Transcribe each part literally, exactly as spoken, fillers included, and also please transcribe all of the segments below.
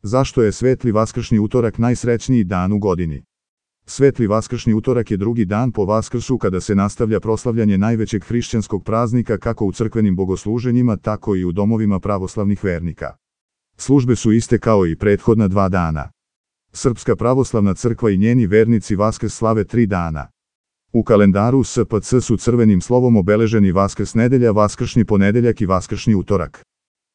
Zašto je Svetli vaskršnji utorak najsrećniji dan u godini? Svetli vaskršnji utorak je drugi dan po Vaskrsu kada se nastavlja proslavljanje najvećeg hrišćanskog praznika kako u crkvenim bogosluženjima, tako i u domovima pravoslavnih vernika. Službe su iste kao i prethodna dva dana. Srpska pravoslavna crkva i njeni vernici Vaskrs slave tri dana. U kalendaru S P C su crvenim slovom obeleženi Vaskrs nedelja, Vaskršnji ponedeljak i Vaskršnji utorak.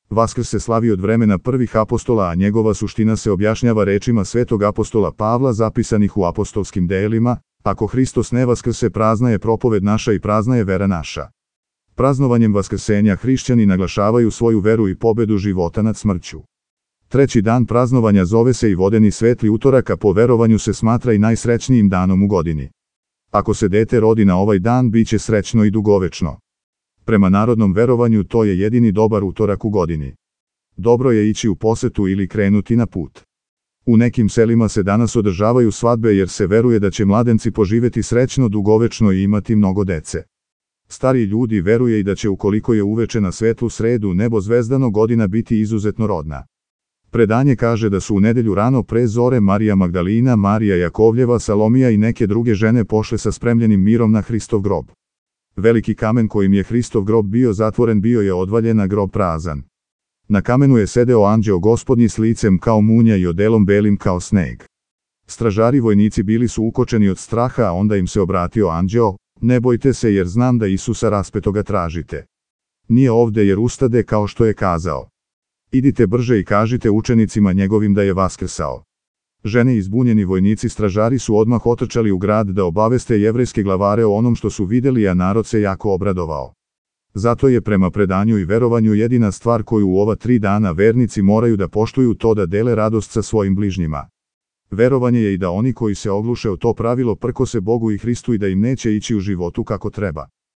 Vaskrs se slavi od vremena prvih apostola, a njegova suština se objašnjava rečima svetog apostola Pavla zapisanih u apostolskim delima: ako Hristos ne vaskrse, prazna je propoved naša i prazna je vera naša. Praznovanjem vaskrsenja hrišćani naglašavaju svoju veru i pobedu života nad smrću. Treći dan praznovanja zove se i vodeni Svetli utorak, a po verovanju se smatra i najsrećnijim danom u godini. Ako se dete rodi na ovaj dan, bit će srećno i dugovečno. Prema narodnom verovanju to je jedini dobar utorak u godini. Dobro je ići u posetu ili krenuti na put. U nekim selima se danas održavaju svadbe jer se veruje da će mladenci poživeti srećno, dugovečno i imati mnogo dece. Stariji ljudi veruje i da će, ukoliko je uveče na svetlu sredu nebo zvezdano, godina biti izuzetno rodna. Predanje kaže da su u nedelju rano pre zore Marija Magdalina, Marija Jakovljeva, Salomija i neke druge žene pošle sa spremljenim mirom na Hristov grob. Veliki kamen kojim je Hristov grob bio zatvoren bio je odvaljen, a grob prazan. Na kamenu je sedeo anđeo Gospodnji s licem kao munja i odelom belim kao sneg. Stražari vojnici bili su ukočeni od straha, a onda im se obratio anđeo: ne bojte se, jer znam da Isusa raspetoga tražite. Nije ovde jer ustade kao što je kazao. Idite brže i kažite učenicima njegovim da je vaskrsao. Žene i zbunjeni vojnici stražari su odmah otrčali u grad da obaveste jevrejske glavare o onom što su videli, a narod se jako obradovao. Zato je prema predanju i verovanju jedina stvar koju u ova tri dana vernici moraju da poštuju to da dele radost sa svojim bližnjima. Verovanje je i da oni koji se ogluše o to pravilo prkose Bogu i Hristu i da im neće ići u životu kako treba.